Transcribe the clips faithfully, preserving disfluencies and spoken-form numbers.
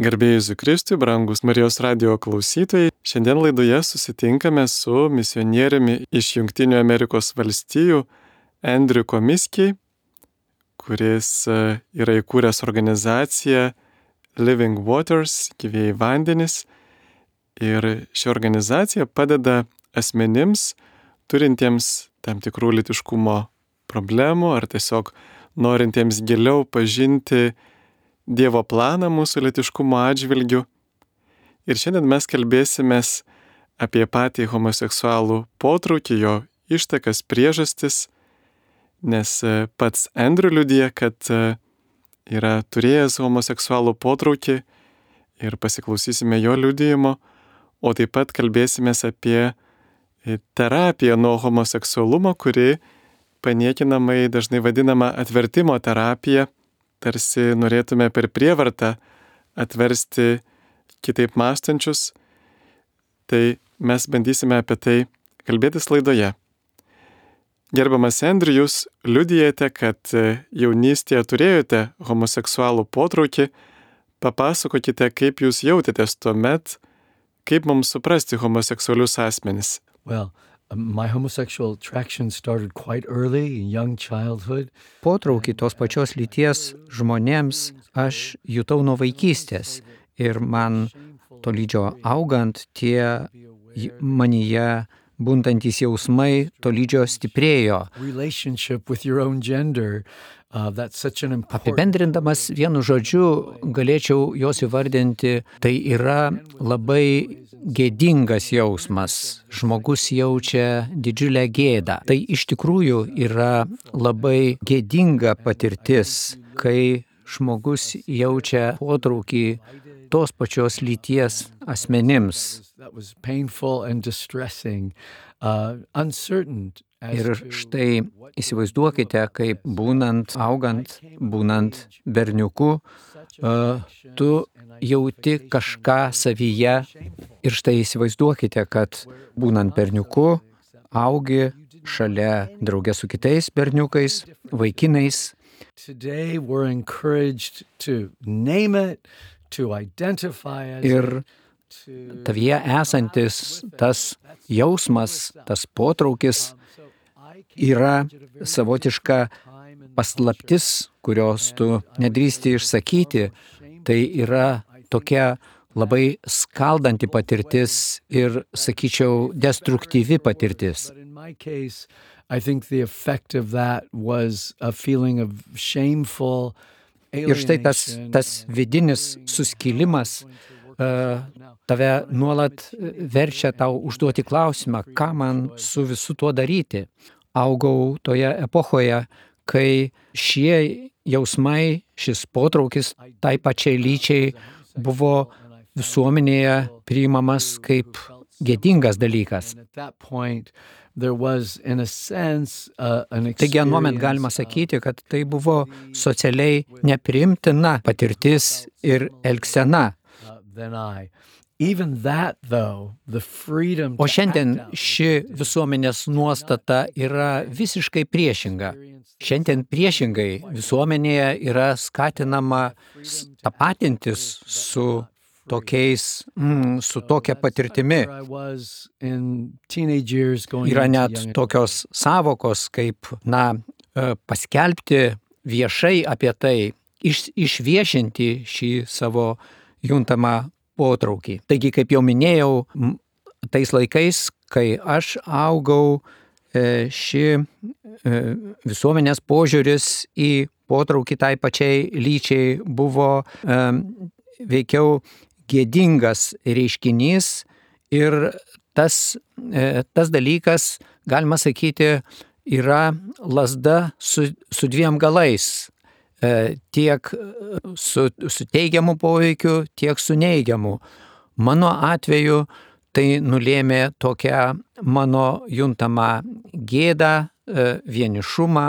Garbėjai Jėzui Kristui, brangus Marijos radijo klausytojai, šiandien laidoje susitinkame su misionieriumi iš Jungtinių Amerikos valstijų Andrew Komiskiai, kuris yra įkūręs organizaciją Living Waters, gyvieji vandenys. Ir ši organizacija padeda asmenims, turintiems tam tikrų lytiškumo problemų ar tiesiog norintiems giliau pažinti Dievo planą mūsų lytiškumo atžvilgiu. Ir šiandien mes kalbėsimės apie patį homoseksualų potraukį, jo ištakas, priežastis, nes pats Andrew liudija, kad yra turėjęs homoseksualų potraukį ir pasiklausysime jo liudijimo, o taip pat kalbėsimės apie terapiją nuo homoseksualumo, kuri paniekinamai dažnai vadinama atvertimo terapija. Tarsi norėtume per prievartą atversti kitaip mąstančius, tai mes bandysime apie tai kalbėtis laidoje. Gerbiamas Andrew, jūs liudijate, kad jaunystėje turėjote homoseksualų potraukį. Papasakokite, kaip jūs jautėtės tuomet, kaip mums suprasti homoseksualius asmenis. Well, My homosexual attraction started quite early in young childhood. Potraukį tos pačios lyties žmonėms aš jutau nuo vaikystės ir man tolydžio augant tie manyje bundantys jausmai tolydžio stiprėjo. Relationship with your own gender, uh, that's such an important... Apibendrindamas vienu žodžiu galėčiau jos įvardinti, tai yra labai gėdingas jausmas. Žmogus jaučia didžiulę gėdą. Tai iš tikrųjų yra labai gėdinga patirtis, kai žmogus jaučia potraukį tos pačios lyties asmenims. That was painful and distressing, uh, uncertain. Ir štai įsivaizduokite, kaip būnant, augant, būnant berniuku, uh, tu jauti kažką savyje. Ir štai įsivaizduokite, kad būnant berniuku, augi šalia drauge su kitais berniukais, vaikinais. Today we're encouraged to name it, to identify as ir tavyje esantis tas jausmas, tas potraukis yra savotiška paslaptis, kurios tu nedrįsti išsakyti. Tai yra tokia labai skaldanti patirtis ir, sakyčiau, destruktyvi patirtis. I think the effect of that was a feeling of shameful alienation. Ir štai tas, tas vidinis suskilimas uh, tave nuolat verčia tau užduoti klausimą, ką man su visu tuo daryti. Augau toje epochoje, kai šie jausmai, šis potraukis tai pačiai lyčiai buvo visuomenėje priimamas kaip gėdingas dalykas. Taigi anuomet galima sakyti, kad tai buvo socialiai nepriimtina patirtis ir elgsena. O šiandien ši visuomenės nuostata yra visiškai priešinga. Šiandien priešingai visuomenėje yra skatinama tapatintis su tokiais, mm, su tokia patirtimi. Yra net tokios savokos, kaip, na, paskelbti viešai apie tai, iš, išviešinti šį savo juntamą potraukį. Taigi, kaip jau minėjau, tais laikais, kai aš augau, ši visuomenės požiūris į potraukį tai pačiai lyčiai buvo veikiau gėdingas reiškinys ir tas, tas dalykas, galima sakyti, yra lazda su, su dviem galais. Tiek su, su teigiamu poveikiu, tiek su neigiamu. Mano atveju tai nulėmė tokią mano juntamą gėdą, vienišumą,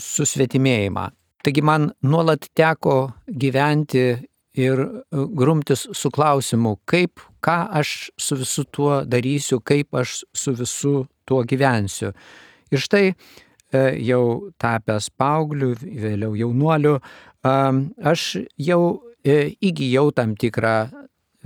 susvetimėjimą. Taigi man nuolat teko gyventi ir grumtis su klausimu, kaip, ką aš su visu tuo darysiu, kaip aš su visu tuo gyvensiu. Ir štai jau tapęs paaugliu, vėliau jaunuoliu, aš jau e, įgyjau tam tikrą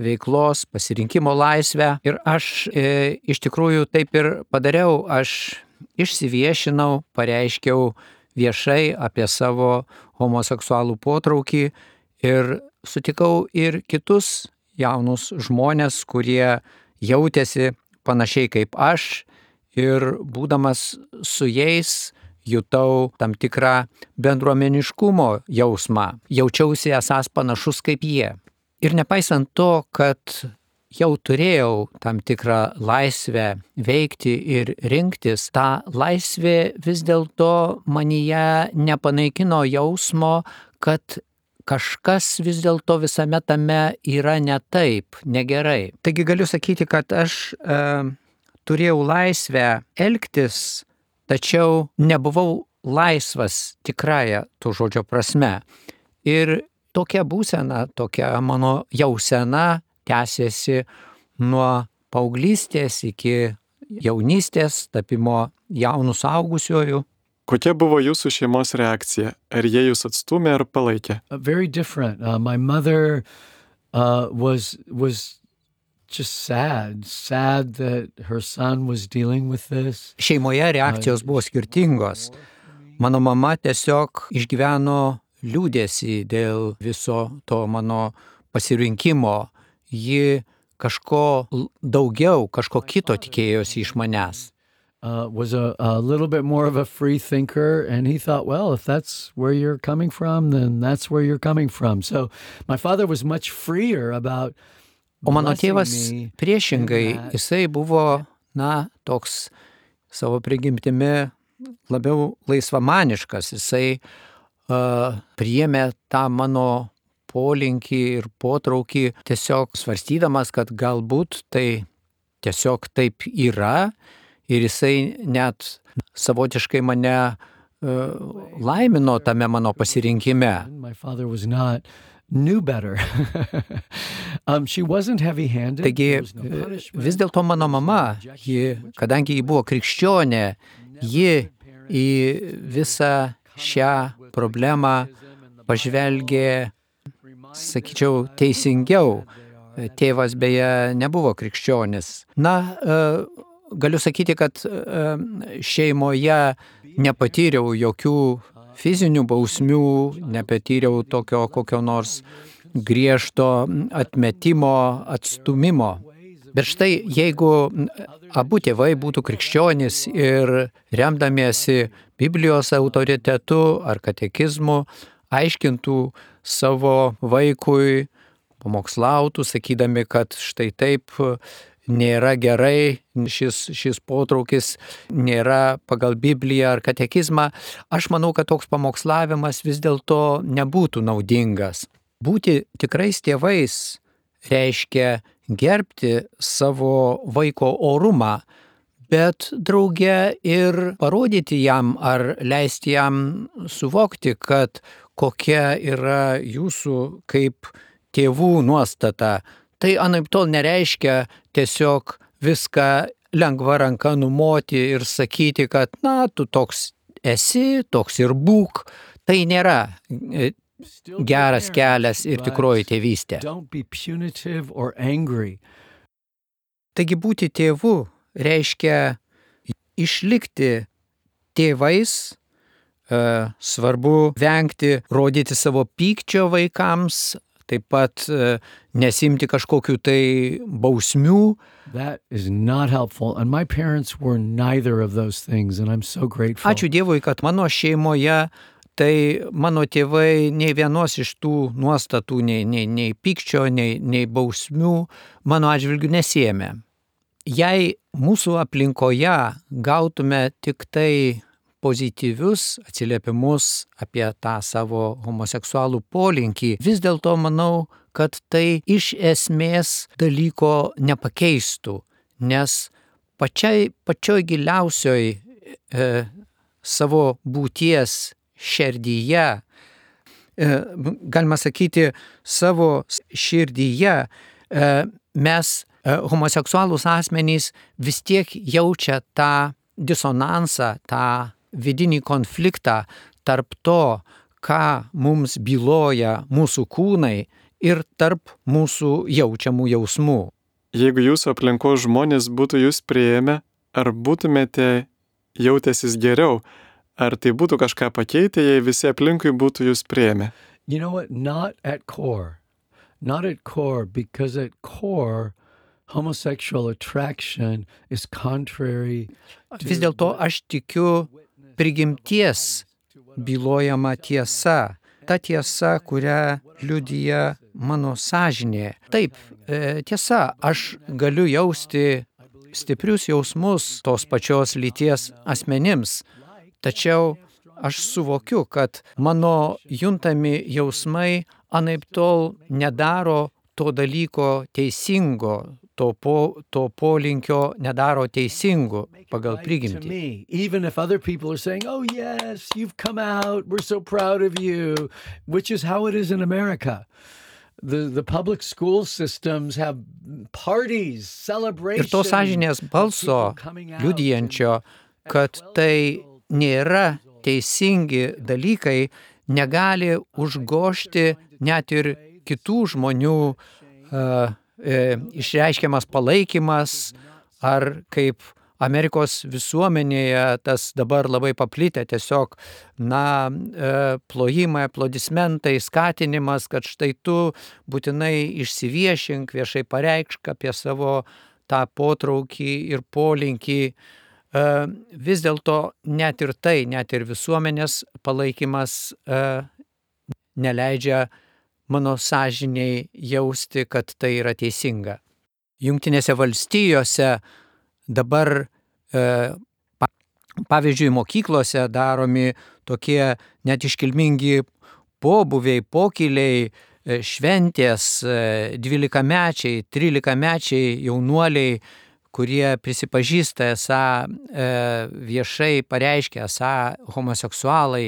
veiklos, pasirinkimo laisvę ir aš e, iš tikrųjų taip ir padariau, aš išsiviešinau, pareiškiau viešai apie savo homoseksualų potraukį ir sutikau ir kitus jaunus žmonės, kurie jautėsi panašiai kaip aš ir būdamas su jais jutau tam tikrą bendruomeniškumo jausmą, jaučiausi esąs panašus kaip jie. Ir nepaisant to, kad jau turėjau tam tikrą laisvę veikti ir rinktis, ta laisvė vis dėlto manyje nepanaikino jausmo, kad kažkas vis dėlto visame tame yra ne taip, negerai. Taigi galiu sakyti, kad aš e, turėjau laisvę elgtis, tačiau nebuvau laisvas tikrąja to žodžio prasme. Ir tokia būsena, tokia mano jausena tęsėsi nuo paauglystės iki jaunystės, tapimo jaunų suaugusiuoju. Kokia buvo jūsų šeimos reakcija? Ar jie jūs atstūmė ar palaikė? Uh, very different. Uh, my mother uh, was was just sad, sad that her son was dealing with this. Šeimoje reakcijos buvo skirtingos. Mano mama tiesiog išgyveno liūdėsį dėl viso to mano pasirinkimo. Ji kažko daugiau, kažko kito tikėjosi iš manęs. Uh, was a, a little bit more of a free thinker, and he thought, well, if that's where you're coming from, then that's where you're coming from. So my father was much freer about O mano blessing tėvas me priešingai, in that. jisai buvo, na, toks savo prigimtimi labiau laisvamaniškas. Jisai uh, priėmė tą mano polinkį ir potraukį tiesiog svarstydamas, kad galbūt tai tiesiog taip yra. Ir jisai net savotiškai mane uh, laimino tame mano pasirinkime. My father was not, knew better. um, she wasn't heavy-handed. Taigi There was no punishment. vis dėlto mano mama, ji, kadangi ji buvo krikščionė, ji į visą šią problemą pažvelgė, sakyčiau, teisingiau. Tėvas beje nebuvo krikščionis. Na, uh, Galiu sakyti, kad šeimoje nepatyriau jokių fizinių bausmių, nepatyriau tokio kokio nors griežto atmetimo, atstūmimo. Bet štai, jeigu abu tėvai būtų krikščionys ir remdamiesi Biblijos autoritetu ar katekizmu, aiškintų savo vaikui, pamokslautų, sakydami, kad štai taip nėra gerai, šis, šis potraukis nėra pagal Bibliją ar katekizmą, aš manau, kad toks pamokslavimas vis dėlto nebūtų naudingas. Būti tikrais tėvais reiškia gerbti savo vaiko orumą, bet drauge ir parodyti jam ar leisti jam suvokti, kad kokia yra jūsų kaip tėvų nuostata. Tai anaiptol nereiškia tiesiog viską lengva ranka numoti ir sakyti, kad, na, tu toks esi, toks ir būk. Tai nėra geras kelias ir tikroji tėvystė. Don't be punitive or angry. Taigi būti tėvu reiškia išlikti tėvais, svarbu vengti rodyti savo pykčio vaikams, taip pat nesimti kažkokių tai bausmių. That is not helpful, and my parents were neither of those things, and I'm so grateful. Ačiū Dievui, kad mano šeimoje tai mano tėvai nei vienos iš tų nuostatų, nei, nei, nei pykčio, nei, nei bausmių mano atžvilgių nesiėmė. Jei mūsų aplinkoje gautume tik tai pozityvius atsiliepimus apie tą savo homoseksualų polinkį, vis dėlto manau, kad tai iš esmės dalyko nepakeistų, nes pačiai, pačioj giliausioj e, savo būties širdyje, e, galima sakyti, savo širdyje e, mes, e, homoseksualūs asmenys, vis tiek jaučia tą disonansą, tą vidinį konfliktą tarp to, ką mums byloja mūsų kūnai ir tarp mūsų jaučiamų jausmų. Jeigu jūsų aplinkos žmonės būtų jūs priėmę, ar būtumėte jautęsis geriau, ar tai būtų kažką pakeitę, jei visi aplinkui būtų jūs priėmę? You know what? Not at core. Not at core, because at core, homosexual attraction is contrary to... Vis dėlto aš tikiu prigimties bylojama tiesa. Ta tiesa, kurią liudija mano sąžinė. Taip, e, tiesa, aš galiu jausti stiprius jausmus tos pačios lyties asmenims, tačiau aš suvokiu, kad mano juntami jausmai anaiptol nedaro to dalyko teisingo, to, po, to polinkio nedaro teisingu pagal prigimtį. Even if other people are saying, oh yes, you've come out, we're so proud of you, which is how it is in America. The, the public school systems have parties, celebrations. Ir to sąžinės balso liudijančio, kad tai nėra teisingi dalykai, negali užgožti net ir kitų žmonių uh, e, išreiškiamas palaikymas, ar kaip Amerikos visuomenėje tas dabar labai paplitę tiesiog, na, e, plojimai, aplodismentai, skatinimas, kad štai tu būtinai išsiviešink, viešai pareikšk apie savo tą potraukį ir polinkį. E, vis dėlto net ir tai, net ir visuomenės palaikymas e, neleidžia mano sąžiniai jausti, kad tai yra teisinga. Jungtinėse valstijose dabar, e, pavyzdžiui, mokyklose daromi tokie net iškilmingi pobūviai, pokyliai, e, šventės, e, dvylikamečiai, trylikamečiai jaunuoliai, kurie prisipažįsta esą e, viešai pareiškia, esą homoseksualai,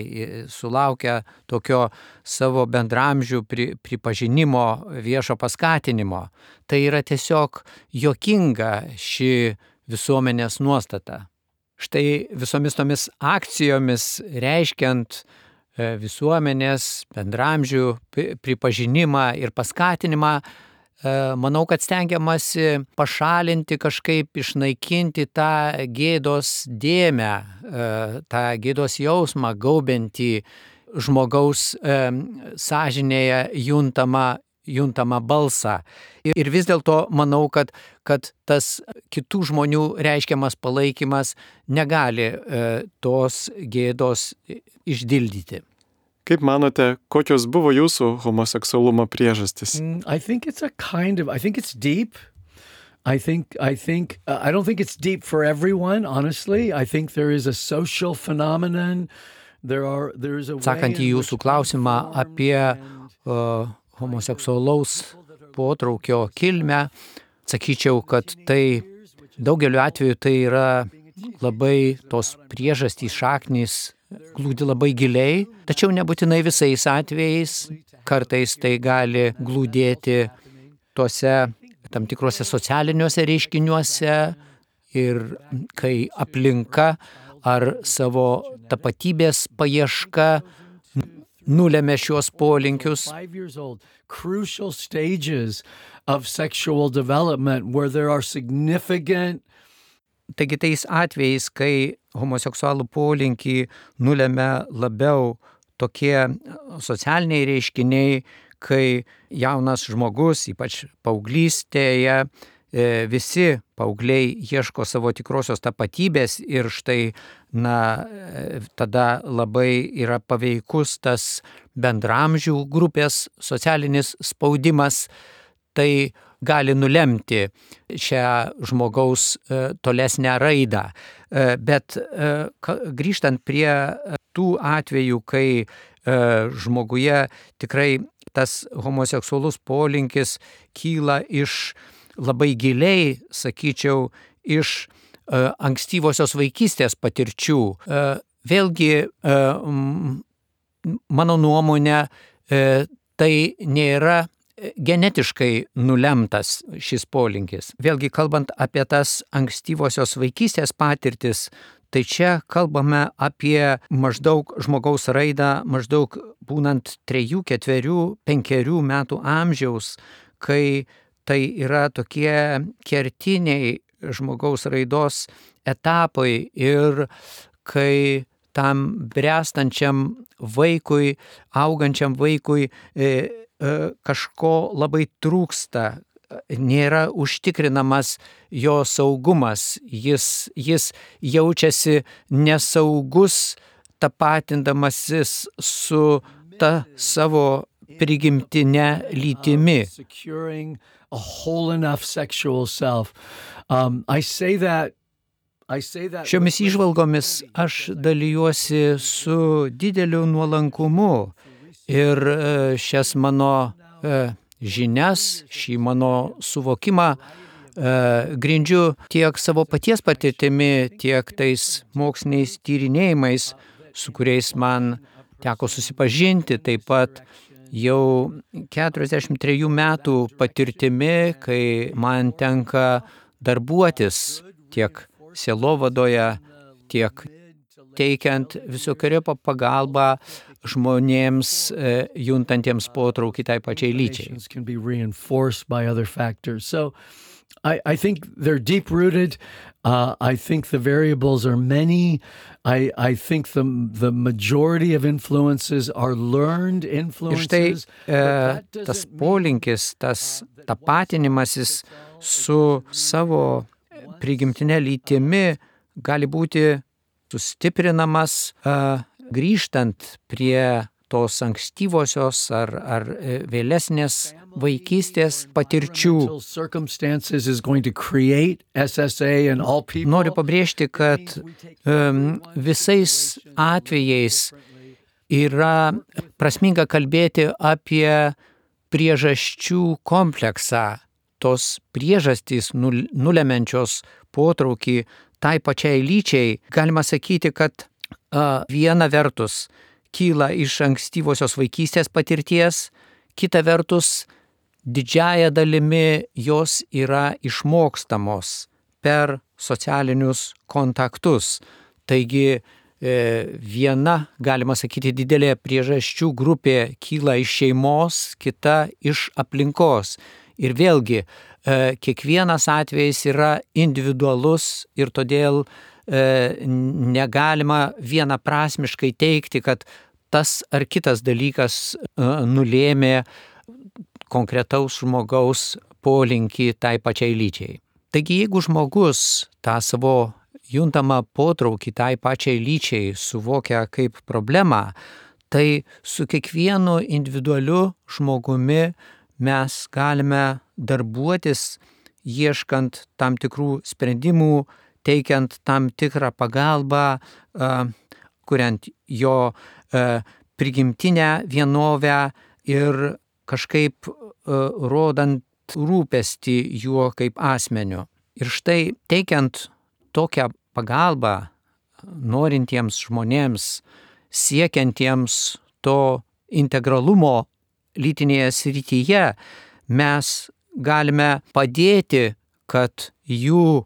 sulaukia tokio savo bendramžių pri, pripažinimo, viešo paskatinimo. Tai yra tiesiog juokinga ši visuomenės nuostata. Štai visomis tomis akcijomis reiškiant visuomenės bendramžių pripažinimą ir paskatinimą, manau, kad stengiamasi pašalinti, kažkaip išnaikinti tą gėdos dėmę, tą gėdos jausmą gaubiantį žmogaus sąžinėje juntamą juntamą balsą. Ir vis dėlto manau, kad, kad tas kitų žmonių reiškiamas palaikymas negali e, tos gėdos išdildyti. Kaip manote, kokios buvo jūsų homoseksualumo priežastys? I think it's a kind of, I think it's deep. I think, I think, uh, I don't think it's deep for everyone, honestly. I think there is a social phenomenon. There are, there is a way... Sakant į jūsų klausimą apie uh, homoseksualaus potraukio kilmę, sakyčiau, kad tai daugeliu atveju tai yra labai tos priežastys, šaknys glūdi labai giliai, tačiau nebūtinai visais atvejais, kartais tai gali glūdėti tuose tam tikrose socialiniuose reiškiniuose ir kai aplinka ar savo tapatybės paieška nulėmė šios polinkius. Crucial stages of sexual development where there are significant. Taigi tais atvejais, kai homoseksualų polinkį nulėmė labiau tokie socialiniai reiškiniai, kai jaunas žmogus, ypač paauglystėje, visi paaugliai ieško savo tikrosios tapatybės ir štai, na, tada labai yra paveikus tas bendramžių grupės socialinis spaudimas, tai gali nulemti šią žmogaus tolesnę raidą. Bet grįžtant prie tų atvejų, kai žmoguje tikrai tas homoseksualus polinkis kyla iš labai giliai, sakyčiau, iš uh, ankstyvosios vaikystės patirčių. Uh, vėlgi, uh, mano nuomonė, uh, tai nėra genetiškai nulemtas šis polinkis. Vėlgi, kalbant apie tas ankstyvosios vaikystės patirtis, tai čia kalbame apie maždaug žmogaus raidą maždaug būnant trejų, ketverių, penkerių metų amžiaus, kai tai yra tokie kertiniai žmogaus raidos etapai ir kai tam bręstančiam vaikui, augančiam vaikui e, e, kažko labai trūksta, nėra užtikrinamas jo saugumas, jis, jis jaučiasi nesaugus, tapatindamasis su ta savo prigimtinė lytimi. A whole enough sexual self. Um, I say that Šiomis įžvalgomis aš dalyjuosi su dideliu nuolankumu ir šias mano žinias, šį mano suvokimą grindžiu tiek savo paties patirtimi, tiek tais moksliniais tyrinėjimais, su kuriais man teko susipažinti, taip pat jau keturiasdešimt trejų metų patirtimi, kai man tenka darbuotis tiek sielovadoje, tiek teikiant visokiojopą pagalbą žmonėms juntantiems potraukį tai pačiai lyčiai. I, I think they're deep-rooted. Uh, I think the variables are many. I, I think the, the majority of influences are learned influences. Ir štai e, tas polinkis, tas tapatinimasis su savo prigimtinė lytimi gali būti sustiprinamas e, grįžtant prie tos ankstyvosios ar, ar vėlesnės vaikystės patirčių. Noriu pabrėžti, kad um, visais atvejais yra prasminga kalbėti apie priežasčių kompleksą, tos priežastys nulemenčios potraukį tai pačiai lyčiai. Galima sakyti, kad uh, viena vertus kyla iš ankstyvosios vaikystės patirties, kita vertus didžiąja dalimi jos yra išmokstamos per socialinius kontaktus. Taigi viena, galima sakyti, didelė priežasčių grupė kyla iš šeimos, kita iš aplinkos. Ir vėlgi, kiekvienas atvejis yra individualus ir todėl negalima vienaprasmiškai teikti, kad tas ar kitas dalykas nulėmė konkretaus žmogaus polinkį tai pačiai lyčiai. Taigi, jeigu žmogus tą savo juntamą potraukį tai pačiai lyčiai suvokia kaip problemą, tai su kiekvienu individualiu žmogumi mes galime darbuotis, ieškant tam tikrų sprendimų, teikiant tam tikrą pagalbą, kuriant jo prigimtinę vienovę ir kažkaip rodant rūpestį juo kaip asmeniu. Ir štai teikiant tokią pagalbą norintiems žmonėms, siekiantiems to integralumo lytinėje srityje, mes galime padėti, kad jų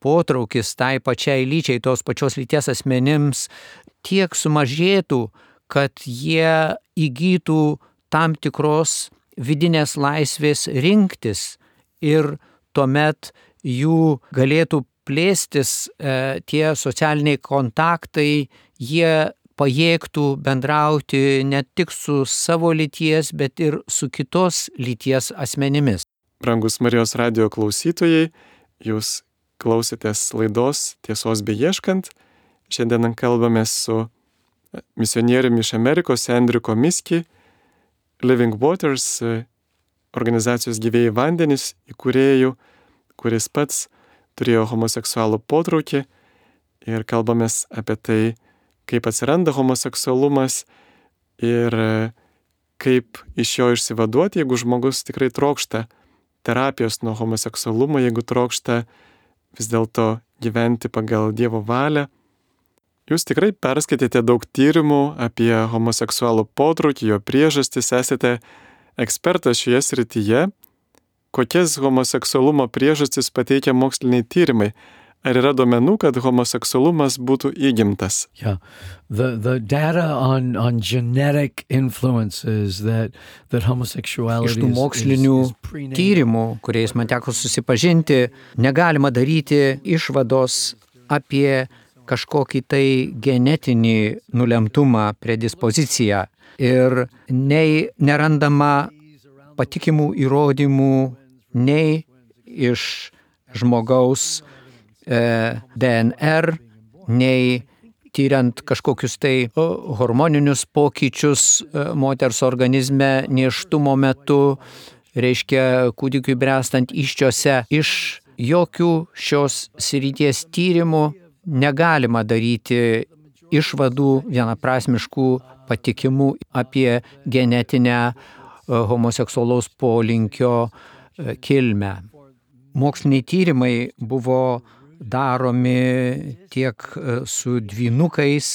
potraukis tai pačiai lyčiai, tos pačios lyties asmenims tiek sumažėtų, kad jie įgytų tam tikros vidinės laisvės rinktis ir tuomet jų galėtų plėstis e, tie socialiniai kontaktai, jie pajėgtų bendrauti ne tik su savo lyties, bet ir su kitos lyties asmenimis. Brangus Marijos radijo klausytojai, jūs klausėtės laidos Tiesos beieškant. Šiandien kalbamės su misionieriumi iš Amerikos Andrew Komiski, Living Waters organizacijos Gyvieji vandenys įkūrėjų, kuris pats turėjo homoseksualų potraukį, ir kalbamės apie tai, kaip atsiranda homoseksualumas ir kaip iš jo išsivaduoti, jeigu žmogus tikrai trokšta terapijos nuo homoseksualumo, jeigu trokšta vis dėlto gyventi pagal Dievo valią. Jūs tikrai perskaitėte daug tyrimų apie homoseksualų potraukį, jo priežastis, esate ekspertas šioje srityje. Kokias homoseksualumo priežastis pateikia moksliniai tyrimai? ar yra duomenų, kad homoseksualumas būtų įgimtas? Yeah, the the data on on genetic influences that that Iš homosexuality tų is, mokslinių is, is prenatal. tyrimų, kuriais man teko susipažinti, negalima daryti išvados apie kažkokį tai genetinį nulemtumą, predispoziciją. Ir nei nerandama patikimų įrodymų nei iš žmogaus e, D N R, nei tyriant kažkokius tai o, hormoninius pokyčius e, moters organizme nėštumo metu, reiškia kūdikiui bręstant įsčiose. Iš jokių šios srities tyrimų negalima daryti išvadų vienaprasmiškų patikimų apie genetinę e, homoseksualaus polinkio e, kilmę. Moksliniai tyrimai buvo daromi tiek e, su dvynukais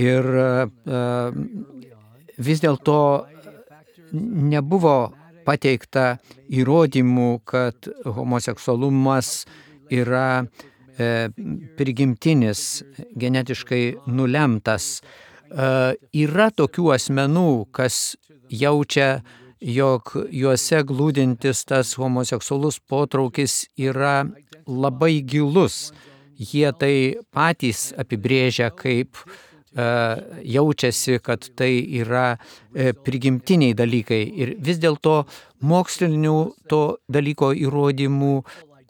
ir e, vis dėlto nebuvo pateikta įrodymų, kad homoseksualumas yra e, prigimtinis, genetiškai nulemtas. E, yra tokių asmenų, kas jaučia, jog juose glūdintis tas homoseksualus potraukis yra labai gilus. Jie tai patys apibrėžia kaip e, jaučiasi, kad tai yra e, prigimtiniai dalykai. Ir vis dėlto mokslinių to dalyko įrodymų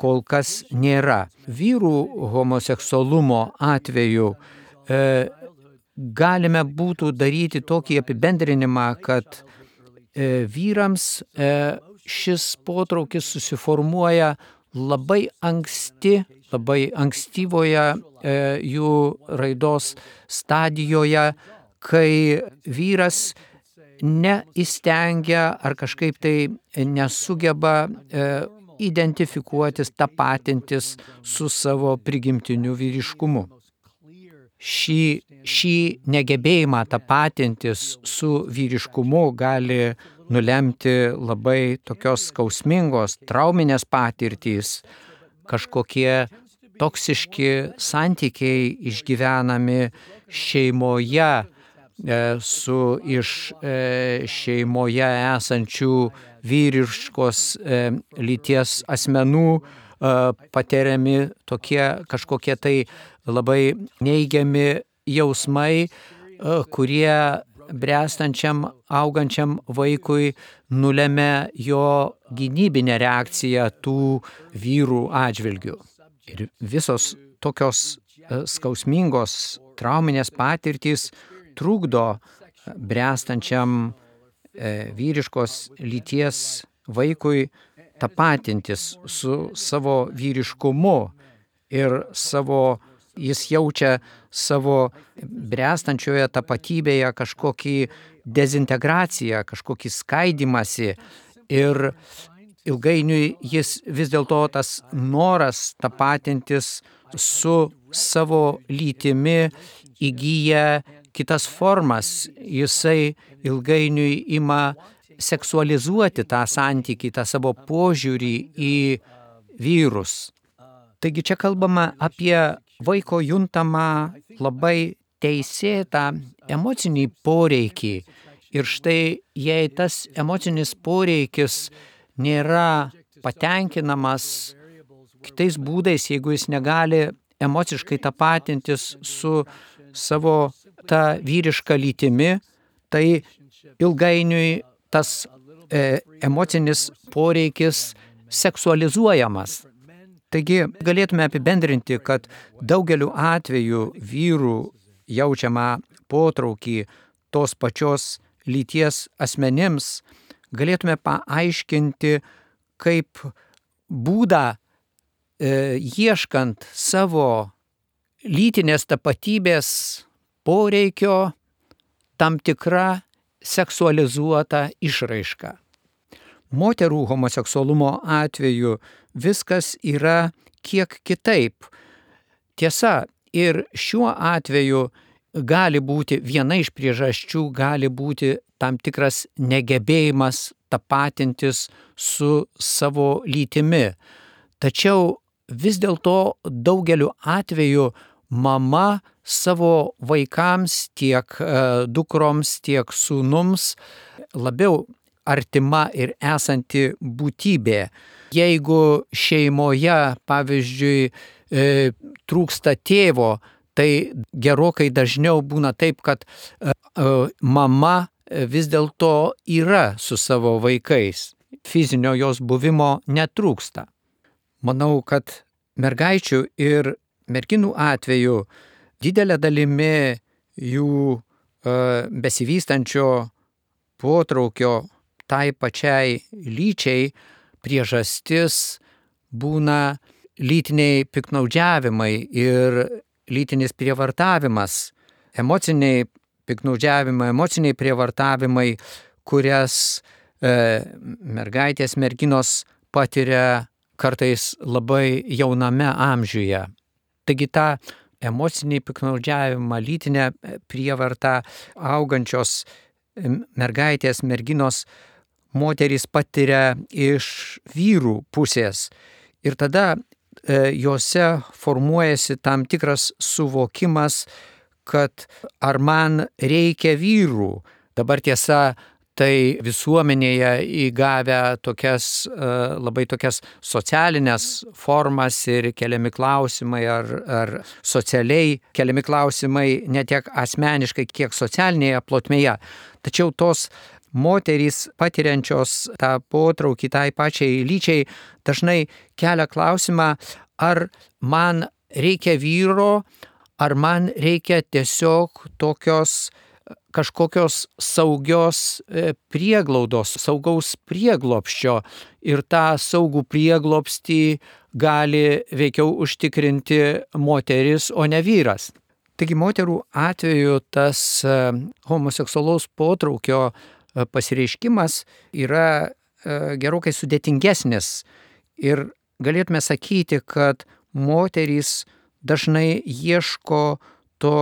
kol kas nėra. Vyrų homoseksualumo atveju e, galime būtų daryti tokį apibendrinimą, kad e, vyrams e, šis potraukis susiformuoja labai anksti, labai ankstyvoje e, jų raidos stadijoje, kai vyras neįstengia ar kažkaip tai nesugeba e, identifikuotis, tapatintis su savo prigimtiniu vyriškumu. Šį, šį negebėjimą tapatintis su vyriškumu gali nulemti labai tokios skausmingos, trauminės patirtys, kažkokie toksiški santykiai išgyvenami šeimoje e, su iš e, šeimoje esančių vyriškos e, lyties asmenų e, patiriami tokie kažkokie tai labai neigiami jausmai, kurie bręstančiam, augančiam vaikui nulemia jo gynybinę reakciją tų vyrų atžvilgių. Ir visos tokios skausmingos trauminės patirtys trukdo bręstančiam vyriškos lyties vaikui tapatintis su savo vyriškumu ir savo jis jaučia savo bręstančioje tapatybėje kažkokį dezintegraciją, kažkokį skaidymąsi ir ilgainiui jis vis dėlto tas noras tapatintis su savo lytimi įgyja kitas formas. Jisai ilgainiui ima seksualizuoti tą santykį, tą savo požiūrį į vyrus. Taigi čia kalbama apie vaiko juntamą labai teisėtą emocinį poreikį. Ir štai, jei tas emocinis poreikis nėra patenkinamas kitais būdais, jeigu jis negali emociškai tapatintis su savo ta vyriška lytimi, tai ilgainiui tas e, emocinis poreikis seksualizuojamas. Taigi galėtume apibendrinti, kad daugeliu atveju vyrų jaučiamą potraukį tos pačios lyties asmenims galėtume paaiškinti kaip būdą e, ieškant savo lytinės tapatybės poreikio tam tikra seksualizuota išraiška. Moterų homoseksualumo atveju viskas yra kiek kitaip. Tiesa, ir šiuo atveju gali būti viena iš priežasčių, gali būti tam tikras negebėjimas tapatintis su savo lytimi. Tačiau vis dėlto daugeliu atveju mama savo vaikams, tiek dukroms, tiek sūnums labiau artima ir esanti būtybė. Jeigu šeimoje, pavyzdžiui, trūksta tėvo, tai gerokai dažniau būna taip, kad mama vis dėlto yra su savo vaikais. Fizinio jos buvimo netrūksta. Manau, kad mergaičių ir merginų atveju didelė dalimi jų besivystančio potraukio tai pačiai lyčiai priežastis būna lytiniai piktnaudžiavimai ir lytinis prievartavimas, emociniai piktnaudžiavimai, emociniai prievartavimai, kurias e, mergaitės, merginos patiria kartais labai jauname amžiuje. Taigi tą emocinį piktnaudžiavimą, lytinę prievartą augančios mergaitės, merginos moterys patiria iš vyrų pusės. Ir tada e, jose formuojasi tam tikras suvokimas, kad ar man reikia vyrų. Dabar tiesa, tai visuomenėje įgavę tokias, e, labai tokias socialinės formas ir keliami klausimai, ar, ar socialiai keliami klausimai ne tiek asmeniškai, kiek socialinėje plotmėje. Tačiau tos moterys patiriančios tą potraukį tai pačiai lyčiai dažnai kelia klausimą, ar man reikia vyro, ar man reikia tiesiog tokios kažkokios saugios prieglaudos, saugaus prieglobsčio, ir tą saugų prieglobstį gali veikiau užtikrinti moteris, o ne vyras. Taigi moterų atveju tas homoseksualaus potraukio pasireiškimas yra gerokai sudėtingesnis ir galėtume sakyti, kad moterys dažnai ieško to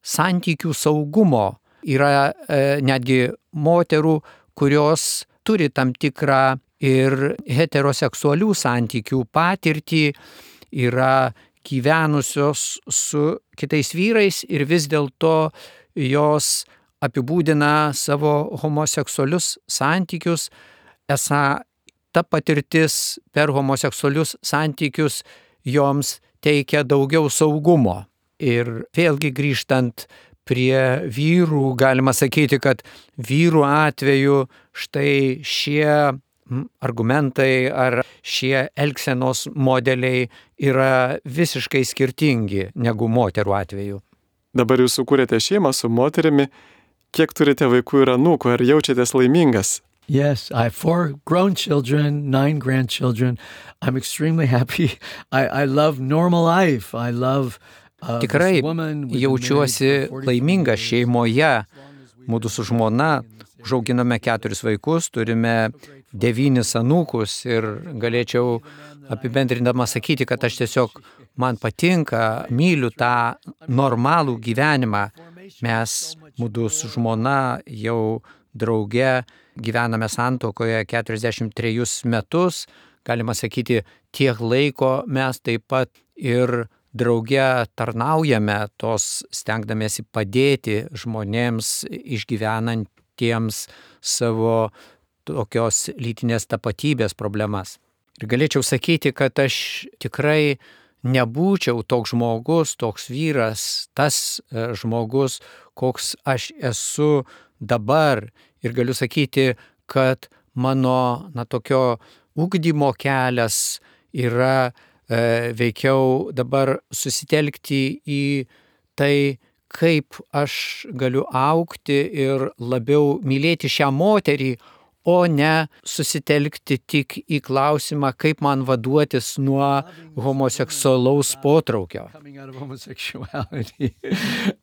santykių saugumo. Yra e, netgi moterų, kurios turi tam tikrą ir heteroseksualių santykių patirtį, yra gyvenusios su kitais vyrais ir vis dėlto jos apibūdina savo homoseksualius santykius, esą ta patirtis per homoseksualius santykius joms teikia daugiau saugumo. Ir vėlgi grįžtant prie vyrų, galima sakyti, kad vyrų atveju štai šie argumentai ar šie elgsenos modeliai yra visiškai skirtingi negu moterų atveju. Dabar jūs sukūrėte šeimą su moterimi. Kiek turite vaikų ir anūkų? Ar jaučiatės laimingas? Yes, I have four grown children, nine grandchildren. I'm extremely happy. I, I love normal life. I love uh, Tikrai jaučiuosi laimingas šeimoje. Mūdu su žmona užauginome keturis vaikus, turime devynis anūkus ir galėčiau apibendrindama sakyti, kad aš tiesiog man patinka, myliu tą normalų gyvenimą. Mes mūdu su žmona jau drauge gyvename santuokoje keturiasdešimt trejus metus. Galima sakyti, tiek laiko mes taip pat ir drauge tarnaujame, tos stengdamiesi padėti žmonėms išgyvenantiems savo tokios lytinės tapatybės problemas. Ir galėčiau sakyti, kad aš tikrai nebūčiau toks žmogus, toks vyras, tas žmogus, koks aš esu dabar. Ir galiu sakyti, kad mano na, tokio ugdymo kelias yra e, veikiau dabar susitelkti į tai, kaip aš galiu augti ir labiau mylėti šią moterį, o ne susitelkti tik į klausimą, kaip man vaduotis nuo homoseksualaus potraukio.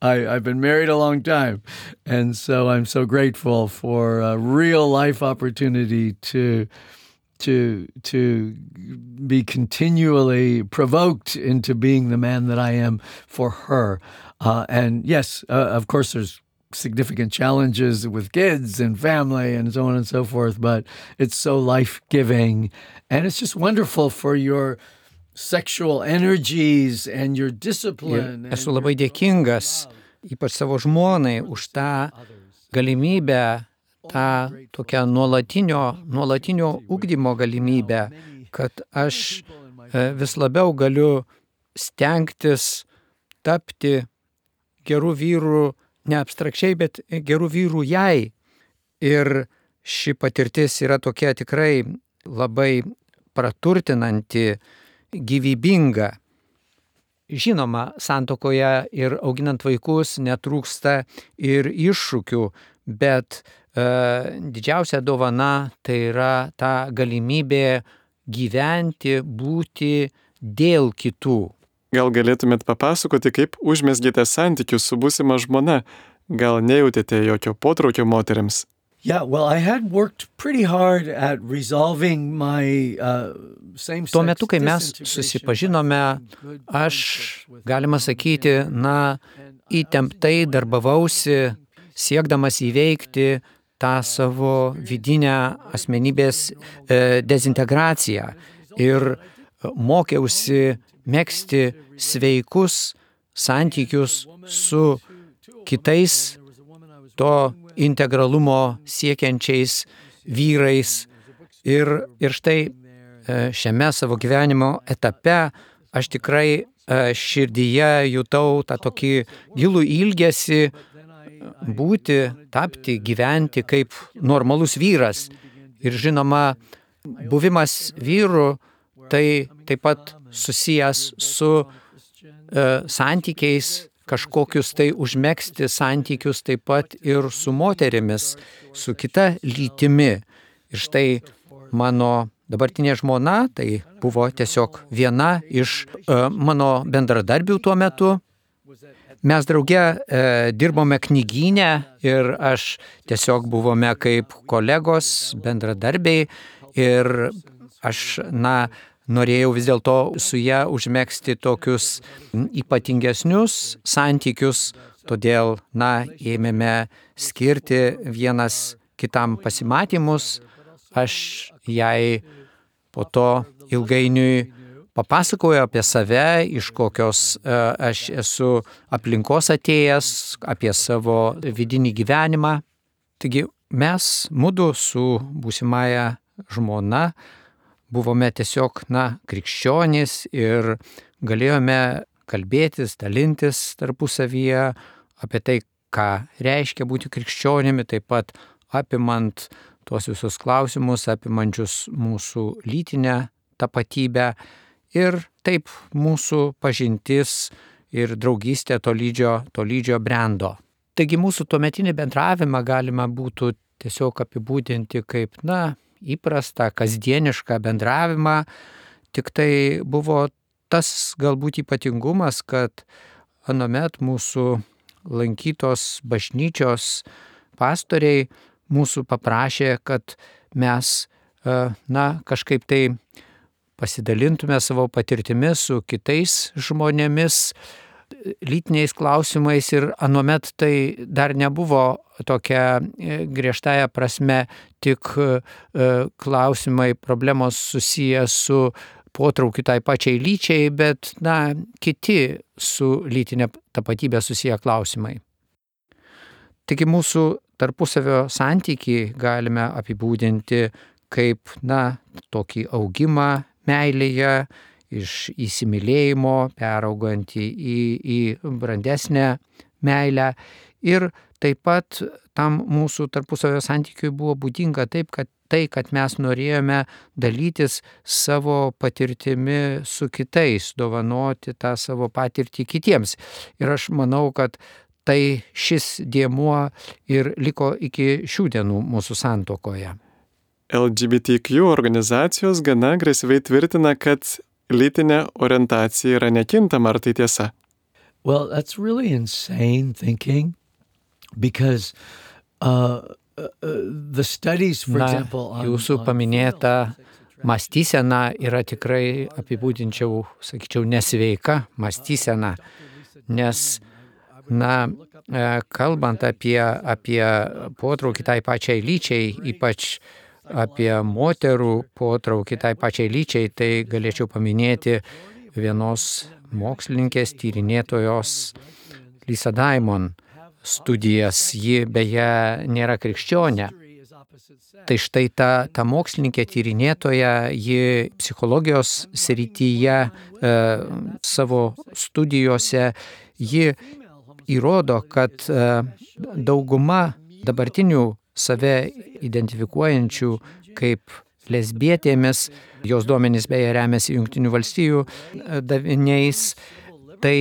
I, I've been married a long time, and so I'm so grateful for a real life opportunity to to to be continually provoked into being the man that I am for her. Uh, and yes, uh, of course, there's significant challenges with kids and family and so on and so forth, but it's so life-giving, and it's just wonderful for your sexual energies and your discipline. Ir esu labai dėkingas, ypač savo žmonai, už tą galimybę, tą tokią nuolatinio, nuolatinio ugdymo galimybę, kad aš vis labiau galiu stengtis tapti gerų vyrų, ne abstrakčiai, bet gerų vyrų jai. Ir ši patirtis yra tokia tikrai labai praturtinanti, gyvybinga. Žinoma, santuokoje ir auginant vaikus netrūksta ir iššūkių, bet e, didžiausia dovana tai yra ta galimybė gyventi, būti dėl kitų. Gal galėtumėt papasakoti, kaip užmesgėte santykius su būsima žmona? Gal nejautėte jokio potraukio moteriams? Yeah, well, I had worked pretty hard at resolving my uh, same-sex Tuo metu, kai mes disintegration susipažinome, by finding good aš, with galima sakyti, na, įtemptai darbavausi, siekdamas įveikti tą savo vidinę asmenybės e, dezintegraciją ir mokiausi megzti sveikus santykius su kitais to integralumo siekiančiais vyrais. Ir, ir štai šiame savo gyvenimo etape aš tikrai širdyje jutau tą tokį gilų ilgesį būti, tapti, gyventi kaip normalus vyras. Ir žinoma, buvimas vyru tai taip pat susijęs su e, santykiais, kažkokius tai užmegzti santykius taip pat ir su moterimis, su kita lytimi. Ir štai mano dabartinė žmona, tai buvo tiesiog viena iš e, mano bendradarbių tuo metu. Mes drauge e, dirbome knygyne ir aš tiesiog buvome kaip kolegos, bendradarbiai ir aš, na, norėjau vis dėlto su ją užmegzti tokius ypatingesnius santykius, todėl, na, ėmėme skirti vienas kitam pasimatymus. Aš jai po to ilgainiui papasakoju apie save, iš kokios aš esu aplinkos atėjęs, apie savo vidinį gyvenimą. Taigi mes mudu su būsimąja žmona buvome tiesiog, na, krikščionys ir galėjome kalbėtis, dalintis tarpusavyje apie tai, ką reiškia būti krikščionimi, taip pat apimant tuos visus klausimus, apimančius mūsų lytinę tapatybę. Ir taip mūsų pažintis ir draugystė tolydžio, tolydžio brendo. Taigi mūsų tuometinį bendravimą galima būtų tiesiog apibūdinti kaip, na, įprastą, kasdienišką bendravimą. Tik tai buvo tas galbūt ypatingumas, kad anuomet mūsų lankytos bažnyčios pastoriai mūsų paprašė, kad mes, na, kažkaip tai pasidalintume savo patirtimi su kitais žmonėmis, lytiniais klausimais ir anuomet tai dar nebuvo tokia griežtąja prasme tik klausimai, problemos susiję su potraukiu tai pačiai lyčiai, bet, na, kiti su lytinė tapatybė susiję klausimai. Taigi mūsų tarpusavio santykį galime apibūdinti kaip, na, tokį augimą meilėje, iš įsimylėjimo, peraugantį į, į brandesnę meilę. Ir taip pat tam mūsų tarpusavio santykiui buvo būdinga taip, kad tai, kad mes norėjome dalytis savo patirtimi su kitais, dovanoti tą savo patirtį kitiems. Ir aš manau, kad tai šis dėmuo ir liko iki šių dienų mūsų santuokoje. L G B T Q organizacijos gana agresyviai tvirtina, kad lytinė orientacija yra nekintama, ar tai tiesa? Well, that's really insane thinking because uh, uh, the studies, for Na, example, on, jūsų on paminėta mąstysena yra tikrai apibūdinčiau, sakyčiau, nesveika mąstysena, nes, na, kalbant apie, apie potraukį tai pačiai lyčiai, ypač apie moterų potraukį tai pačiai lyčiai, tai galėčiau paminėti vienos mokslininkės tyrinėtojos Lisa Diamond studijas. Ji beje nėra krikščionė. Tai štai ta, ta mokslininkė tyrinėtoja, ji psichologijos srityje e, savo studijose, ji įrodo, kad e, dauguma dabartinių save identifikuojančių kaip lesbietėmis, jos duomenys beje remiasi Jungtinių valstijų daviniais, tai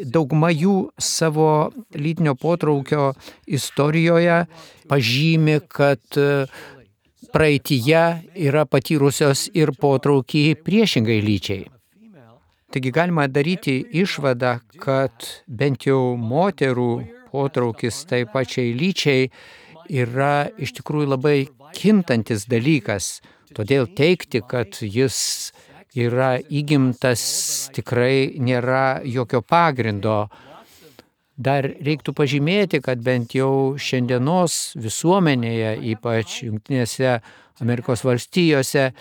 dauguma jų savo lytinio potraukio istorijoje pažymi, kad praeityje yra patyrusios ir potraukį priešingai lyčiai. Taigi galima daryti išvadą, kad bent jau moterų potraukis tai pačiai lyčiai yra iš tikrųjų labai kintantis dalykas. Todėl teigti, kad jis yra įgimtas, tikrai nėra jokio pagrindo. Dar reiktų pažymėti, kad bent jau šiandienos visuomenėje, ypač Jungtinėse Amerikos valstijose,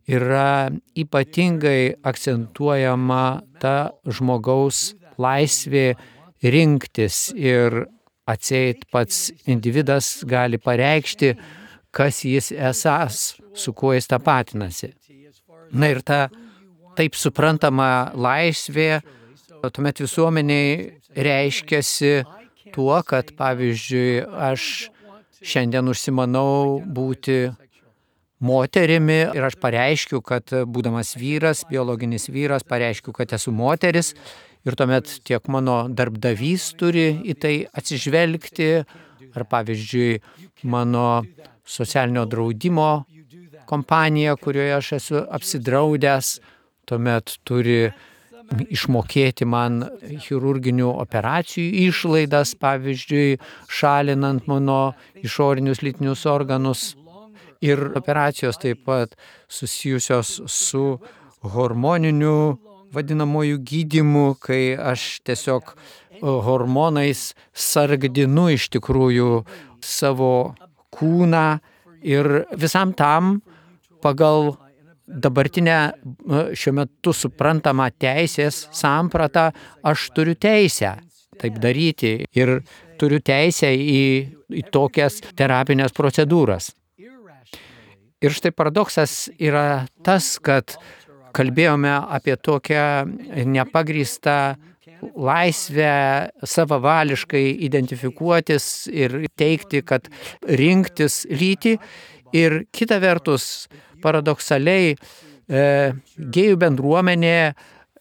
yra ypatingai akcentuojama ta žmogaus laisvė rinktis ir atseit pats individas gali pareikšti, kas jis esąs, su kuo jis tapatinasi. Na ir ta taip suprantama laisvė tuomet visuomeniai reiškiasi tuo, kad pavyzdžiui aš šiandien užsimanau būti moterimi ir aš pareiškiu, kad būdamas vyras, biologinis vyras, pareiškiu, kad esu moteris ir tuomet tiek mano darbdavys turi į tai atsižvelgti, ar pavyzdžiui mano socialinio draudimo kompanija, kurioje aš esu apsidraudęs, tuomet turi išmokėti man chirurginių operacijų išlaidas, pavyzdžiui, šalinant mano išorinius lytinius organus. Ir operacijos taip pat susijusios su hormoniniu vadinamoju gydymu, kai aš tiesiog hormonais sargdinu iš tikrųjų savo kūną ir visam tam pagal dabartinę šiuo metu suprantamą teisės sampratą aš turiu teisę taip daryti ir turiu teisę į, į tokias terapinės procedūras. Ir štai paradoksas yra tas, kad kalbėjome apie tokią nepagrįstą laisvę savavališkai identifikuotis ir teikti, kad rinktis lytį. Ir kita vertus, paradoksaliai, e, gėjų bendruomenė,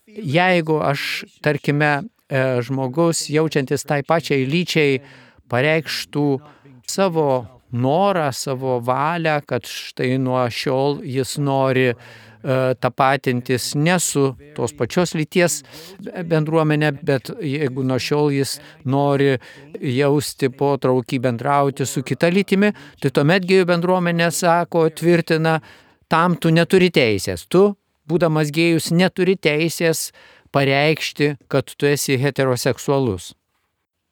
jeigu aš, tarkime, e, žmogus jaučiantis tai pačiai lyčiai pareikštų savo norą, savo valią, kad štai nuo šiol jis nori tapatintis ne su tos pačios lyties bendruomenė, bet jeigu nuo šiol jis nori jausti potraukį bendrauti su kita lytimi, tai tuomet gėjų bendruomenė sako, tvirtina, tam tu neturi teisės. Tu, būdamas gėjus, neturi teisės pareikšti, kad tu esi heteroseksualus.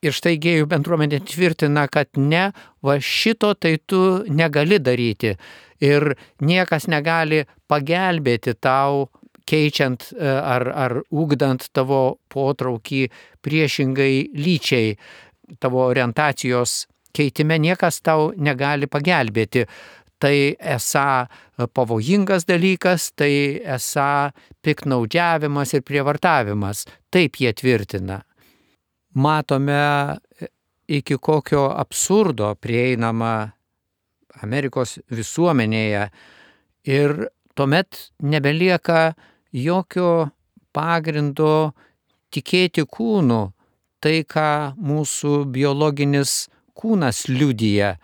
Ir štai gėjų bendruomenė tvirtina, kad ne, va šito tai tu negali daryti. Ir niekas negali pagelbėti tau, keičiant ar, ar ugdant tavo potraukį priešingai lyčiai, tavo orientacijos keitime niekas tau negali pagelbėti. Tai esą pavojingas dalykas, tai esą piktnaudžiavimas ir prievartavimas. Taip jie tvirtina. Matome, iki kokio absurdo prieinama Amerikos visuomenėje ir tuomet nebelieka jokio pagrindo tikėti kūnu, tai ką mūsų biologinis kūnas liudija.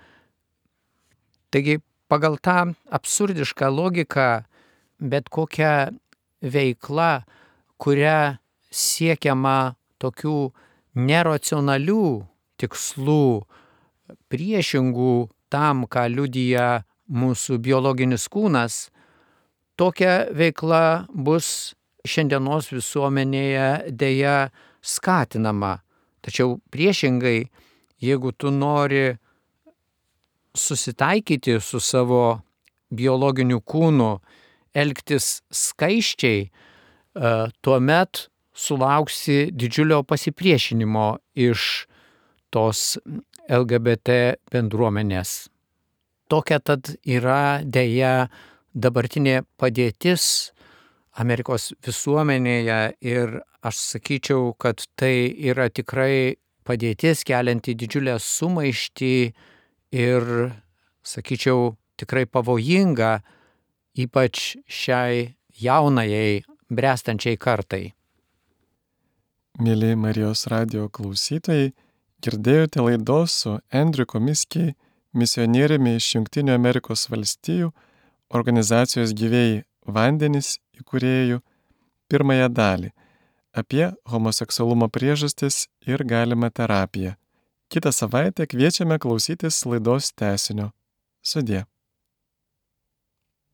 Taigi pagal tą absurdišką logiką bet kokia veikla, kuria siekiama tokių neracionalių tikslų, priešingų tam, ką liudija mūsų biologinis kūnas, tokia veikla bus šiandienos visuomenėje deja skatinama. Tačiau priešingai, jeigu tu nori susitaikyti su savo biologiniu kūnu elgtis skaiščiai, tuomet sulauksi didžiulio pasipriešinimo iš tos L G B T bendruomenės. Tokia tad yra dėja dabartinė padėtis Amerikos visuomenėje ir aš sakyčiau, kad tai yra tikrai padėtis kelianti didžiulę sumaištį ir, sakyčiau, tikrai pavojinga, ypač šiai jaunajai, bręstančiai kartai. Mėly Marijos radijo klausytojai, girdėjote laidos su Andrew Comiskey, misionieriumi iš Jungtinių Amerikos valstijų, organizacijos Gyvieji vandenys įkūrėjų, pirmąją dalį apie homoseksualumo priežastis ir galimą terapiją. Kitą savaitę kviečiame klausytis laidos tęsinio. Sudie.